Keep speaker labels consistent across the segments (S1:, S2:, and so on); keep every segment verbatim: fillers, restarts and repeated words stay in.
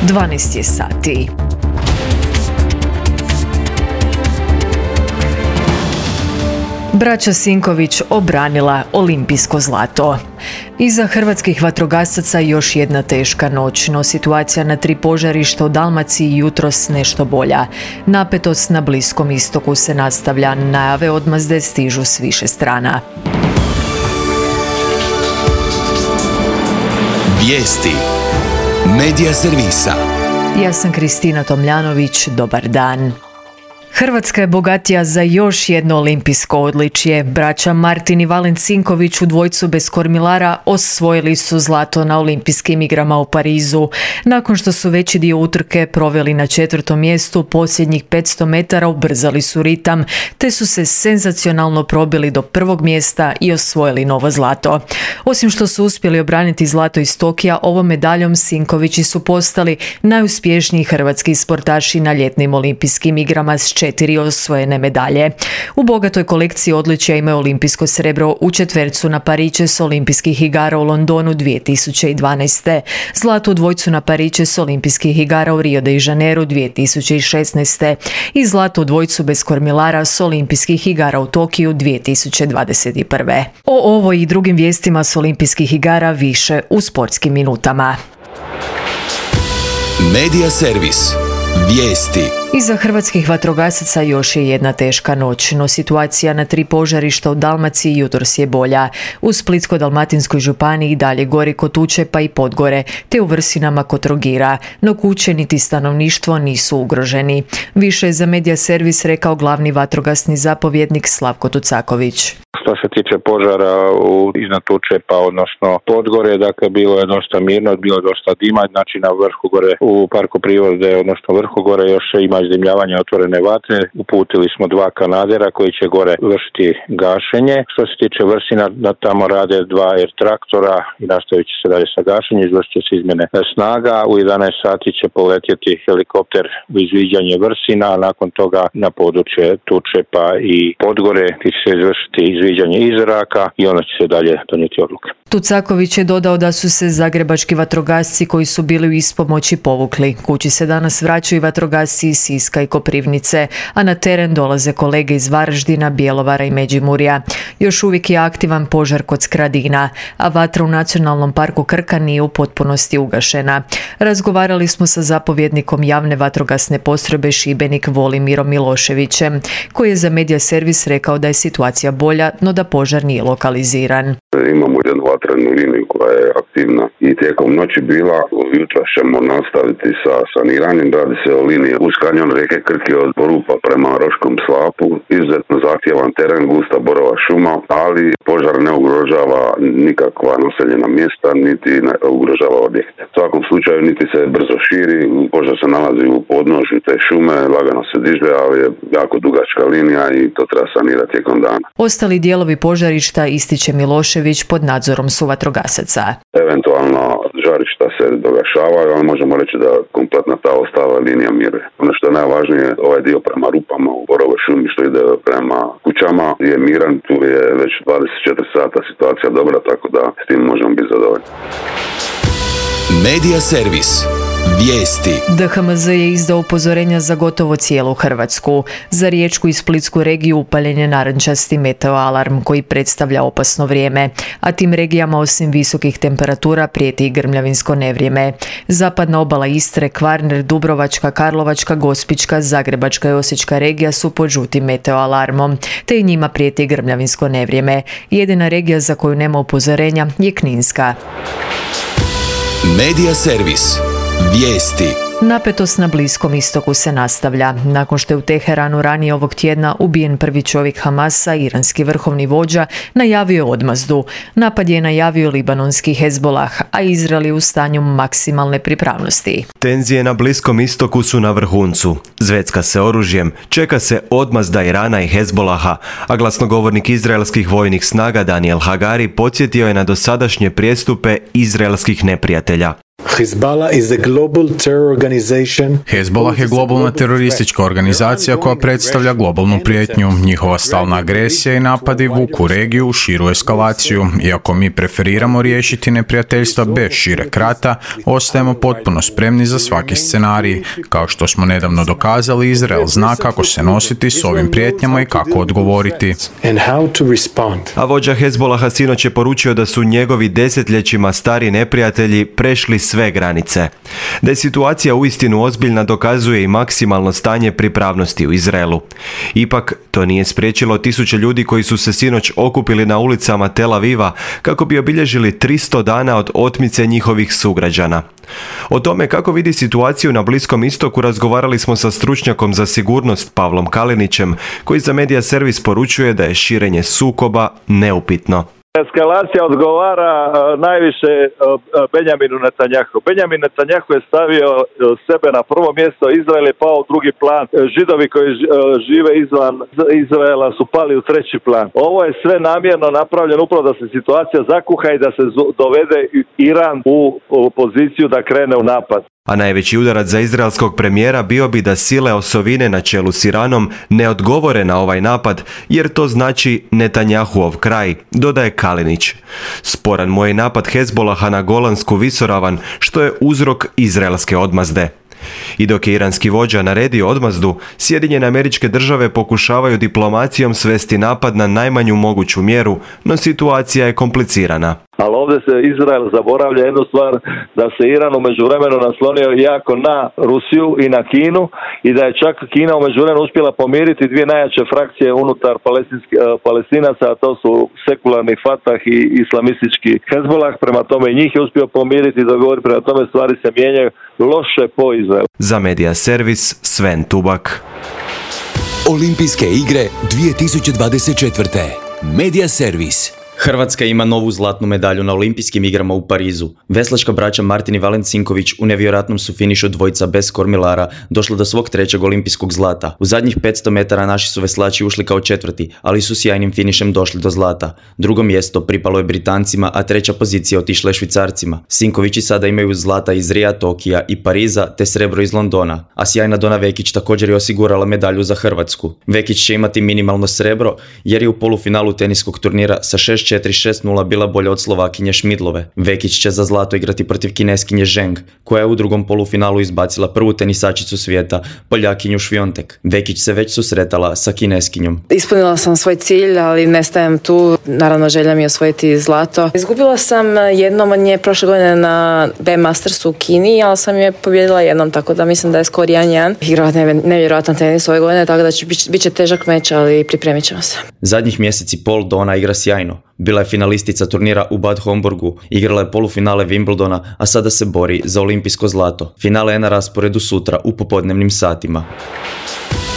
S1: dvanaest je sati. Braća Sinković obranila olimpijsko zlato. Iza hrvatskih vatrogasaca još jedna teška noć, no situacija na tri požarišta u Dalmaciji jutros nešto bolja. Napetost na Bliskom istoku se nastavlja, najave odmazde stižu s više strana.
S2: Vijesti Medija servisa.
S1: Ja sam Kristina Tomljanović, dobar dan. Hrvatska je bogatija za još jedno olimpijsko odličje. Braća Martin i Valen Sinković u dvojcu bez kormilara osvojili su zlato na olimpijskim igrama u Parizu. Nakon što su veći dio utrke proveli na četvrtom mjestu, posljednjih petsto metara ubrzali su ritam, te su se senzacionalno probili do prvog mjesta i osvojili novo zlato. Osim što su uspjeli obraniti zlato iz Tokija, ovom medaljom Sinkovići su postali najuspješniji hrvatski sportaši na ljetnim olimpijskim igrama s četiri osvojene medalje. U bogatoj kolekciji odličja imaju olimpijsko srebro u četvercu na Pariće s olimpijskih igara u Londonu dvije tisuće dvanaest. Zlato u dvojcu na Pariće s olimpijskih igara u Rio de Janeiru dvije tisuće šesnaest. i zlato u dvojcu bez kormilara s olimpijskih igara u Tokiju dvije tisuće dvadeset prve. O ovoj i drugim vijestima s olimpijskih igara više u sportskim minutama.
S2: Medija servis. Vijesti.
S1: Iza hrvatskih vatrogasaca još je jedna teška noć, no situacija na tri požarišta u Dalmaciji jutros je bolja. U Splitsko-dalmatinskoj županiji i dalje gori kod Tuče pa i Podgore, te u Vrsinama kod Trogira, no kuće niti stanovništvo nisu ugroženi. Više je za Medija servis rekao glavni vatrogasni zapovjednik Slavko Tucaković.
S3: Što se tiče požara u, iznad Tučepa, odnosno Podgore, dakle bilo je dosta mirno, bilo je dosta dima, znači na vrhu gore u parku prirode, odnosno vrhu gore još ima izdimljavanje otvorene vatre. Uputili smo dva kanadera koji će gore vršiti gašenje. Što se tiče Vrsina, da tamo rade dva air traktora i nastavit će se dalje sa gašenjem, izvršit će se izmjene snaga. U jedanaest sati će poletjeti helikopter u izviđanje Vrsina, a nakon toga na područje Tučepa i Podgore gdje će se izvršiti izviđanje iz zraka i onda će se dalje donijeti odluke.
S1: Tucaković je dodao da su se zagrebački vatrogasci koji su bili u ispomoći povukli. Kući se danas vraćaju vatrogasci iz Siska i Koprivnice, a na teren dolaze kolege iz Varaždina, Bjelovara i Međimurja. Još uvijek je aktivan požar kod Skradina, a vatra u Nacionalnom parku Krka nije u potpunosti ugašena. Razgovarali smo sa zapovjednikom javne vatrogasne postrojbe Šibenik Volimirom Miloševićem, koji je za Medija servis rekao da je situacija bolja, no da požar nije lokaliziran.
S4: Imamo jednu vatrenu liniju koja je aktivna i tijekom noći bila. Jutro ćemo nastaviti sa saniranjem. Radi se o liniji uz kanjon rijeke Krke od Porupa prema Roškom slapu. Izuzetno zahtjevan teren, gusta borova šuma, ali požar ne ugrožava nikakva naseljena mjesta, niti ne ugrožava objekte. U svakom slučaju niti se brzo širi, požar se nalazi u podnožju te šume, lagano se diže, ali je jako dugačka linija i to treba sanirati tijekom dana.
S1: Ostali dijelovi požarišta, ističe Milošević, pod nadzorom su vatrogasaca.
S4: Eventualno žarišta se dogašavaju, ali možemo reći da kompletna ta ostala linija miruje. Ono što je najvažnije, ovaj dio prema Rupama u Borovoj šumi što ide prema kućama je miran, tu je već dvadeset četiri sata situacija dobra, tako da s tim možemo biti zadovoljni.
S2: Medija servis. Vijesti.
S1: D H M Z je izdao upozorenja za gotovo cijelu Hrvatsku. Za Riječku i Splitsku regiju upaljen je narančasti meteo alarm koji predstavlja opasno vrijeme, a tim regijama osim visokih temperatura prijeti i grmljavinsko nevrijeme. Zapadna obala Istre, Kvarner, Dubrovačka, Karlovačka, Gospićka, Zagrebačka i Osječka regija su pod žutim meteo alarmom, te i njima prijeti i grmljavinsko nevrijeme. Jedina regija za koju nema upozorenja je Kninska.
S2: Medija servis. Vijesti.
S1: Napetost na Bliskom istoku se nastavlja. Nakon što je u Teheranu ranije ovog tjedna ubijen prvi čovjek Hamasa, iranski vrhovni vođa najavio odmazdu. Napad je najavio libanonski Hezbolah, a Izrael je u stanju maksimalne pripravnosti.
S5: Tenzije na Bliskom istoku su na vrhuncu. Zvecka se oružjem, čeka se odmazda Irana i Hezbolaha, a glasnogovornik izraelskih vojnih snaga Daniel Hagari podsjetio je na dosadašnje prijestupe izraelskih neprijatelja.
S6: Hezbollah is a global terror organization.
S7: Hezbollah je globalna teroristička organizacija koja predstavlja globalnu prijetnju. Njihova stalna agresija i napadi vuku regiju u širu eskalaciju. Iako mi preferiramo riješiti neprijateljstva bez šireg rata, ostajemo potpuno spremni za svaki scenarij. Kao što smo nedavno dokazali, Izrael zna kako se nositi s ovim prijetnjama i kako odgovoriti.
S5: A vođa Hezbollaha sinoć je poručio da su njegovi desetljećima stari neprijatelji prešli sve granice. Da je situacija uistinu ozbiljna dokazuje i maksimalno stanje pripravnosti u Izraelu. Ipak, to nije spriječilo tisuće ljudi koji su se sinoć okupili na ulicama Tel Aviva kako bi obilježili tristo dana od otmice njihovih sugrađana. O tome kako vidi situaciju na Bliskom istoku razgovarali smo sa stručnjakom za sigurnost Pavlom Kalinićem, koji za Media Servis poručuje da je širenje sukoba neupitno.
S8: Eskalacija odgovara uh, najviše uh, Benjaminu Netanjahu. Benjamin Netanjahu je stavio uh, sebe na prvo mjesto, Izrael je pao u drugi plan. Židovi koji uh, žive izvan Izraela su pali u treći plan. Ovo je sve namjerno napravljeno upravo da se situacija zakuha i da se dovede Iran u, u poziciju da krene u napad.
S5: A najveći udarac za izraelskog premijera bio bi da sile osovine na čelu s Iranom ne odgovore na ovaj napad, jer to znači Netanjahuov kraj, dodaje Kalinić. Sporan mu je napad Hezbollaha na Golansku visoravan, što je uzrok izraelske odmazde. I dok je iranski vođa naredio odmazdu, Sjedinjene Američke Države pokušavaju diplomacijom svesti napad na najmanju moguću mjeru, no situacija je komplicirana.
S8: Ali ovdje se Izrael zaboravlja jednu stvar, da se Iran u međuvremenu naslonio jako na Rusiju i na Kinu i da je čak Kina u međuvremenu uspjela pomiriti dvije najjače frakcije unutar Palestinaca, a to su sekularni Fatah i islamistički Hezbollah. Prema tome njih je uspio pomiriti i dogovoriti, prema tome stvari se mijenjaju loše po Izraelu.
S5: Za Media Servis, Sven Tubak.
S2: Olimpijske igre dvije tisuće dvadeset četvrte. Media Servis.
S9: Hrvatska ima novu zlatnu medalju na Olimpijskim igrama u Parizu. Veslačka braća Martin i Valent Sinković u nevjerojatnom su finišu dvojica bez kormilara došla do svog trećeg olimpijskog zlata. U zadnjih petsto metara naši su veslači ušli kao četvrti, ali su sjajnim finišem došli do zlata. Drugo mjesto pripalo je Britancima, a treća pozicija otišla je Švicarcima. Sinkovići sada imaju zlata iz Rija, Tokija i Pariza, te srebro iz Londona. A sjajna Dona Vekić također je osigurala medalju za Hrvatsku. Vekić će imati minimalno srebro jer je u polufinalu teniskog turnira sa šest četiri šest nula bila bolja od Slovakinje Šmidlove. Vekić će za zlato igrati protiv Kineskinje Zheng, koja je u drugom polufinalu izbacila prvu tenisačicu svijeta, Poljakinju Šviontek. Vekić se već susretala sa Kineskinjom.
S10: Ispunila sam svoj cilj, ali ne stajem tu. Naravno, želja mi je osvojiti zlato. Izgubila sam jednom od nje prošle godine na B Mastersu u Kini, ali sam je pobjedila jednom, tako da mislim da je skor jedan jedan. Igrala nevjerojatan tenis ove godine, tako da će bit će težak meč, ali pripremit ćemo se.
S9: Zadnjih mjeseci pol Dona igra sjajno. Bila je finalistica turnira u Bad Homburgu, igrala je polufinale Wimbledona, a sada se bori za olimpijsko zlato. Finale je na rasporedu sutra u popodnevnim satima.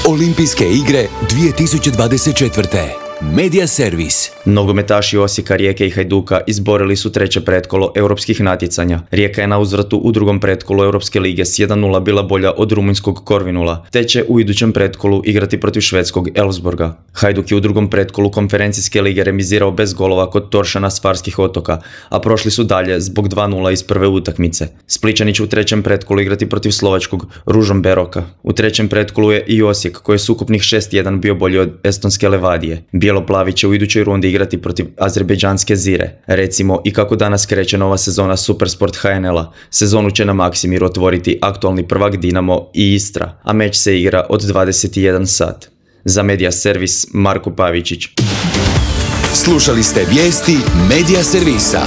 S2: Olimpijske igre dvije tisuće dvadeset četvrte. Media Servis.
S9: Nogometaši Osijeka, Rijeke i Hajduka izborili su treće pretkolo europskih natjecanja. Rijeka je na uzvratu u drugom pretkolu Europske lige s jedan nula bila bolja od rumunjskog Korvinula, te će u idućem pretkolu igrati protiv švedskog Elfsborga. Hajduk je u drugom pretkolu konferencijske lige remizirao bez golova kod Toršana s Farskih otoka, a prošli su dalje zbog dva nula iz prve utakmice. Splićani će u trećem pretkolu igrati protiv slovačkog Ružomberoka. U trećem pretkolu je i Osijek, koji je s ukupnih šest jedan bio bolji od estonske Levadije. Bijeloplavi će u idućoj rundi igrati protiv azerbejdžanske Zire. Recimo i kako danas kreće nova sezona Supersport H N L-a. Sezonu će na Maksimiru otvoriti aktualni prvak Dinamo i Istra, a meč se igra od dvadeset jedan sat. Za Media Servis, Marko Pavičić.
S2: Slušali ste vijesti Media Servisa.